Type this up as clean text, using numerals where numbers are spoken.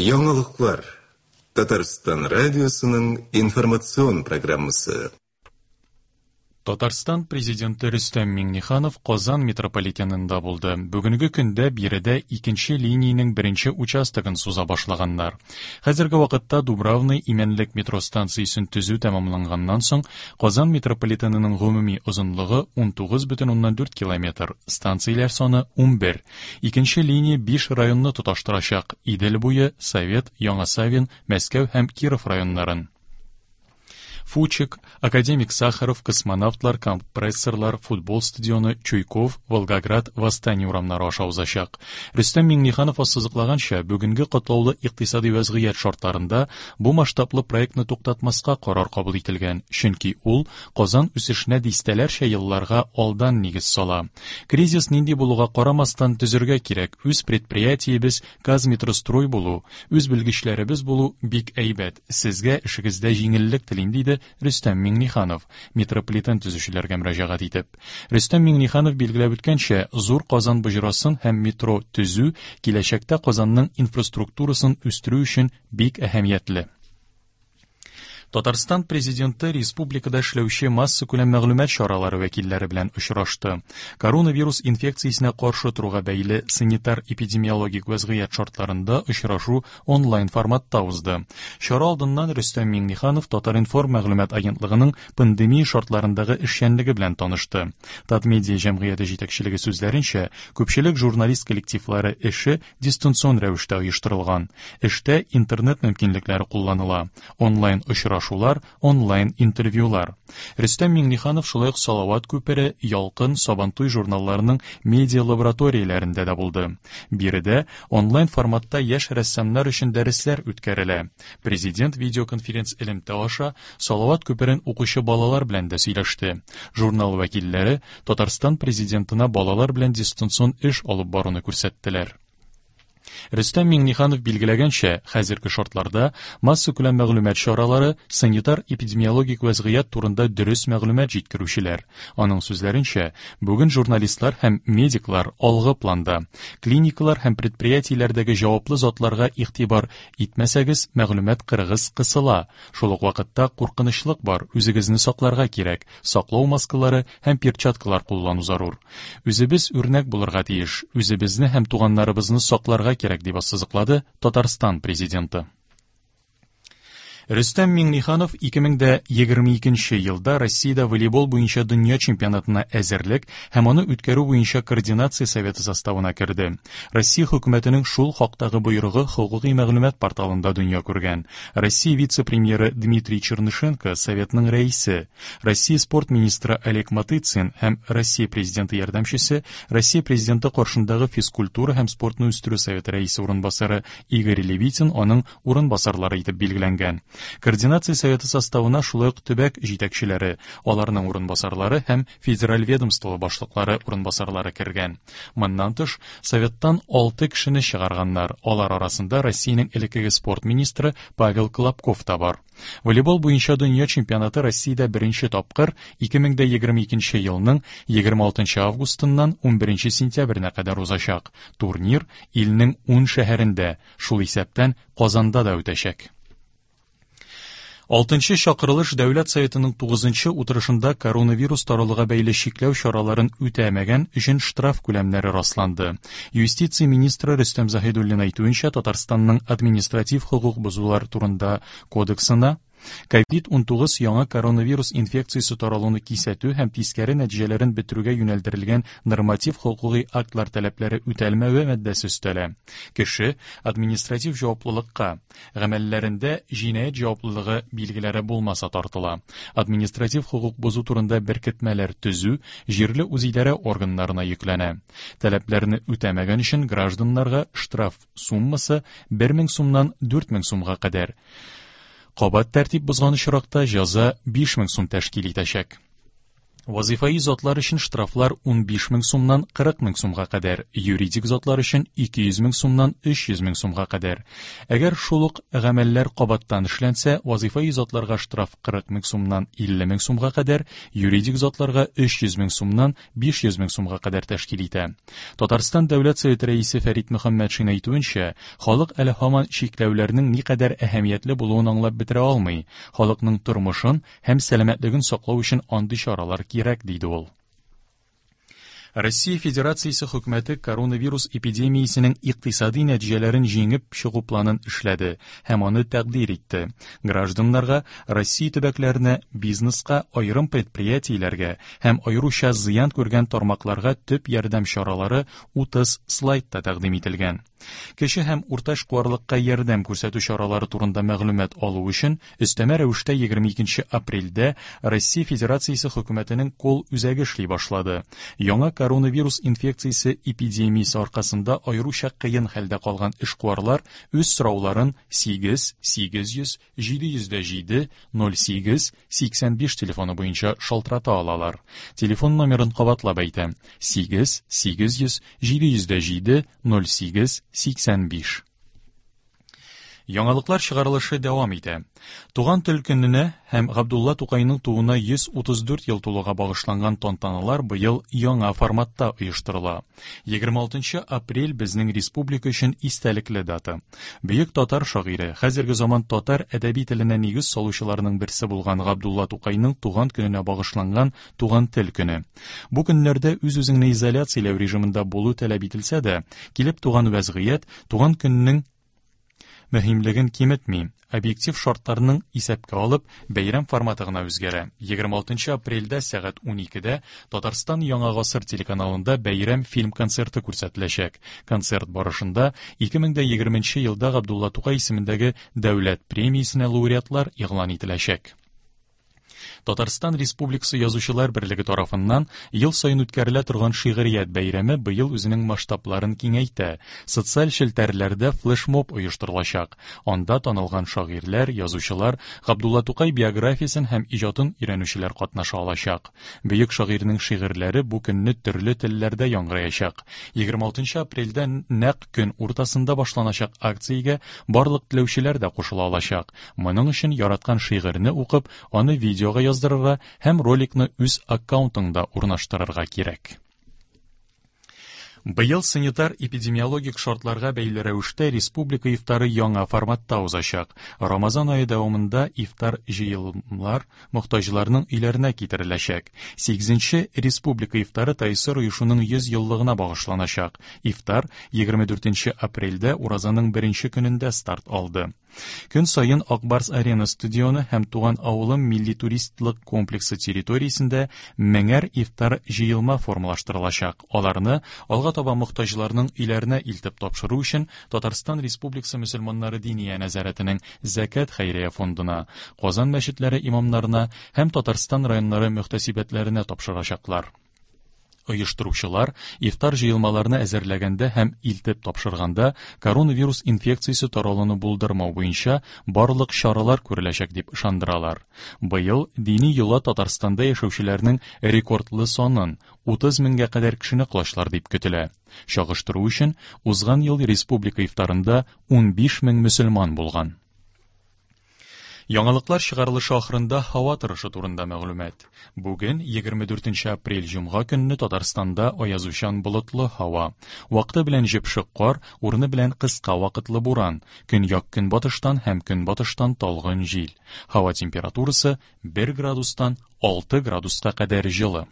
Яңалыклар. Татарстан радиосының информацион программасы. Татарстан Президенты Рөстәм Миңнеханов Казан метрополитенында булды. Бүгенге көндә биредә икенче линиянең беренче участогын суза башлаганнар. Хәзерге вакытта Дубравный Имәнлек метро станциясен төзү тәмамланганнан соң, Казан метрополитенының гомуми озынлыгы 19,4 километр, станцияләр саны 11. Икенче линия биш районны тоташтырачак: Идел буе, Совет, Яңа Савин, Мәскәү һәм Киров районнарын. Фучик, Академик Сахаров, Космонавтлар, Компрессорлар, Футбол стадионы, Чуйков, Волгоград, Восстание урамнары аша узачак. Рөстәм Миңнеханов ассызыклаганча, бүгенге катлаулы икътисади вәзгыять шартларында бу масштаблы проектны туктатмаска карар кабул ителгән, чөнки ул Казан үсешенә дистәләрчә елларга алдан нигез сала. Кризис нинди булуга карамастан төзергә кирәк, үз предприятиебез Казметрострой булу, үз белгечләребез булу бик әйбәт. Сезгә эшегездә җиңеллек телим, диде Рөстәм Миңнеханов, метрополитен төзүчеләргә мөрәҗәгать итеп. Рөстәм Миңнеханов билгеләп үткәнчә, зур Казан боҗрасын һәм метро төзү киләчәктә Казанның инфраструктурасын үстерү өчен бик әһәмиятле. Татарстан Президенты республикада эшләүче массакүләм мәгълүмат чаралары вәкилләре белән очрашты. Коронавирус инфекциясенә каршы торуга бәйле санитар-эпидемиологик вәзгыять шартларында очрашу онлайн форматта узды. Чара алдыннан Рөстәм Миңнеханов Татар-информ мәгълүмат агентлыгының пандемия шартларындагы эшчәнлеге белән танышты. Татмедиа җәмгыяте җитәкчелеге сүзләренчә, күпчелек журналист коллективлары эше дистанцион рәвештә оештырылган. Эштә интернет мөмкинлекләре кулланыла. Онлайн очрашулар, онлайн интервьюлар. Рөстәм Миңнеханов шулай ук Салават күпере, Ялкын, Сабантуй журналларының медиа лабораторияләрендә дә булды. Биредә онлайн форматта яшь рәссамнар өчен дәресләр үткәрелә. Президент видеоконференц элемтә аша Салават күперен укучы балалар белән дә сөйләште. Журнал вәкилләре Татарстан Президентына балалар белән дистанцион эш алып баруны күрсәттеләр. Рөстәм Миңнеханов билгеләгәнчә, хәзерге шартларда массакүләм мәгълүмат чаралары санитар-эпидемиологик вәзгыять турында дөрес мәгълүмат җиткерүчеләр. Аның сүзләренчә, бүген журналистлар һәм медиклар алгы планда. Клиникалар һәм предприятиеләрдәге җаваплы затларга игътибар итмәсәгез, мәгълүмат кырыгыз кысыла. Шул ук вакытта куркынычлык бар, үзегезне сакларга кирәк. Саклау маскалары һәм перчаткалар куллану зарур. Үзебез үрнәк булырга тиеш, үзебезне һәм туганнарыбызны сакларга кирәк, дип ассызыклады Татарстан Президенты. Рөстәм Миңнеханов 2022 елда Россиядә волейбол буенча дөнья чемпионатына әзерлек һәм аны үткәрү буенча координация советы составына керде. Россия хөкүмәтенең шул хактагы боерыгы хокукый мәгълүмат порталында дөнья күргән. Россия вице-премьеры Дмитрий Чернышенко советның рәисе, Россия спорт министры Олег Матыцин һәм Россия президенты ярдәмчесе, Россия президенты каршындагы физкультура һәм спортны үстерү советы рәисе урынбасары Игорь Левитин аның урынбасарлары итеп билгеләнгән. Координация советы составына шулай ук төбәк җитәкчеләре, аларның урынбасарлары һәм федераль ведомство башлыклары урынбасарлары кергән. Моннан тыш, Советтан 6 кешене чыгарганнар, алар арасында Россиянең элеккеге спорт министры Павел Колобков та бар. Волейбол буенча дөнья чемпионаты Россиядә беренче тапкыр 2022 елның 26 августыннан 11 сентябренә кадәр узачак. Турнир илнең 10 шәһәрендә, шул исәптән Казанда да үтәчәк. Алтынчы чакырылыш Дәүләт Советының тугызынчы утырышында коронавирус таралуга бәйле чикләү чараларын үтәмәгән өчен штраф күләмнәре расланды. Юстиция министры Рөстәм Заһидуллин әйтүенчә, Татарстанның административ хокук бозулар турында кодексына COVID-19 яңа коронавирус инфекциясе таралуны кисәтү һәм тискәре нәтиҗәләрен бетерүгә юнәлдерелгән норматив хокукый актлар таләпләре үтәлмәве маддәсе өстәлә. Кеше административ җаваплылыкка Гамәлләрендә җинаять җаваплылыгы билгеләре булмаса тартыла. Административ хокук бозу турында беркетмәләр төзү җирле үзидарә органнарына йөкләнә. Таләпләрне үтәмәгән өчен гражданнарга штраф суммасы 1000 сумнан 4000 сумга кадәр. Кабат тәртип бозган очракта җәза 5000 сум тәшкил итәчәк. Вазыйфаи затлар өчен штрафлар 15 мең сумнан 40 мең сумга кадәр, юридик затлар өчен 200 мең сумнан 300 мең сумга кадәр. Әгәр шул ук гамәлләр кабаттан эшләнсә, вазыйфаи затларга штраф 40 мең сумнан 50 мең сумга кадәр, юридик затларга 300 мең сумнан 500 мең сумга кадәр тәшкил итә. Татарстан Дәүләт Советы рәисе Фәрит Мөхәммәтшин әйтүенчә, халык әле һаман чикләүләрнең никадәр әһәмиятле булуын аңлап бетерә алмый. Халыкның тормышын һәм сәламәтлеген саклау өчен андый чаралар кирәк, диде ул. Россия Федерациясе хөкүмәте коронавирус эпидемиясенең икътисади нәтиҗәләрен җиңеп чыгу планын эшләде һәм аны тәкъдир итте. Гражданнарга, Россия төбәкләренә, бизнеска, аерым предприятиеләргә һәм аеруча зыян күргән тармакларга төп ярдәм чаралары 30 слайдта тәкъдим ителгән. Кече һәм урта эшкуарлыкка ярдәм күрсәтү чаралары турында мәгълүмат алу өчен өстәмә рәвештә 22 апрельдә Россия Федерациясе хөкүмәтенең колл-үзәге эшли башлады. Яңа коронавирус инфекциясе эпидемиясе аркасында аеруча кыен хәлдә калган эшкуарлар үз сорауларын 8 800 707 08 85 телефоны буенча шалтырата алалар. Телефон номерын кабатлап әйтәм: 8 800 707 08 85. Яңалыклар чыгарылышы дәвам итә. Туган тел көненә һәм Габдулла Тукайның тууына 134 ел тулуга багышланган тантаналар быел яңа форматта оештырыла. 26 апрель безнең республика өчен истәлекле дата. Бөек татар шагыйре, хәзерге заман татар әдәби теленә нигез салучыларның берсе булган Габдулла Тукайның туган көненә багышланган Туган тел көне. Бу көннәрдә үз-үзеңне изоляцияләү режимында булу таләп ителсә дә, килеп туган вәзгыять туган көннең мөһимлеген киметми. Объектив шартларның исәпкә алып, бәйрәм форматы гына үзгәрә. 26 апрельдә сәгать 12-дә Татарстан Яңа гасыр телеканалында бәйрәм фильм концерты күрсәтеләчәк. Концерт барышында 2020 елда Габдулла Тукай исемендәге дәүләт премиясенә лауреатлар игълан ителәчәк. Татарстан Республикасы Язучылар берлеге тарафыннан ел саен үткәрелә торган шигърият бәйрәме быел үзенең масштабларын киңәйтә. Социаль челтәрләрдә флешмоб оештырылачак. Анда танылган шагыйрьләр, язучылар, Габдулла Тукай биографиясен һәм иҗатын өйрәнүчеләр катнаша алачак. Бөек шагыйрьнең шигырьләре бу көнне төрле телләрдә яңгыраячак. 26 апрельдә нәкъ көн уртасында башланачак акциягә барлык теләүчеләр дә кушыла алачак. Моның өчен яраткан шигырьне укып, аны видеога яздырырга һәм роликны үз аккаунтыңда урнаштырырга кирәк. Быел санитар-эпидемиологик шартларга бәйле рәвештә республика ифтары яңа форматта узачак. Рамазан ае дәвамында ифтар җыелмлар мохтаҗларның өйләренә китереләчәк. 8-нче республика ифтары ТАИСР оешуның 100 еллыгына багышланачак. Ифтар 24 апрельдә уразаның беренче көнендә старт алды. Көн саен Ак Барс Арена стадионы һәм Туган авылым милли туристлык комплексы территориясендә меңәр ифтар җыелма формалаштырылачак. Аларны алга таба мохтаҗларның өйләренә илтеп тапшыру өчен Татарстан Республикасы мөселманнары диния нәзарәтенең Зәкят хәйрия фондына, Казан мәчетләре имамнарына һәм Татарстан районнары мөхтәсибәтләренә тапшырачаклар. Оештыручылар ифтар җыелмаларны әзерләгәндә һәм илтеп тапшырганда коронавирус инфекциясе таралуны булдырмау буенча барлык чаралар күреләчәк дип ышандыралар. Быел дини йола Татарстанда яшәүчеләрнең рекордлы санын 30 меңгә кадәр кешене колачлар дип көтелә. Чагыштыру өчен, узган ел республика ифтарында 15 мең мөселман булган. Яңалыклар чыгарылышы ахырында һава торышы турында мәгълүмат. Бүген, 24 апрель җомга көнне Татарстанда аязучан болытлы һава. Вакыты белән җепшек кар, урыны белән кыска вакытлы буран, көньяк-көнбатыштан һәм көнбатыштан талгын җил. Һава температурасы 1 градустан 6 градуска кадәр җылы.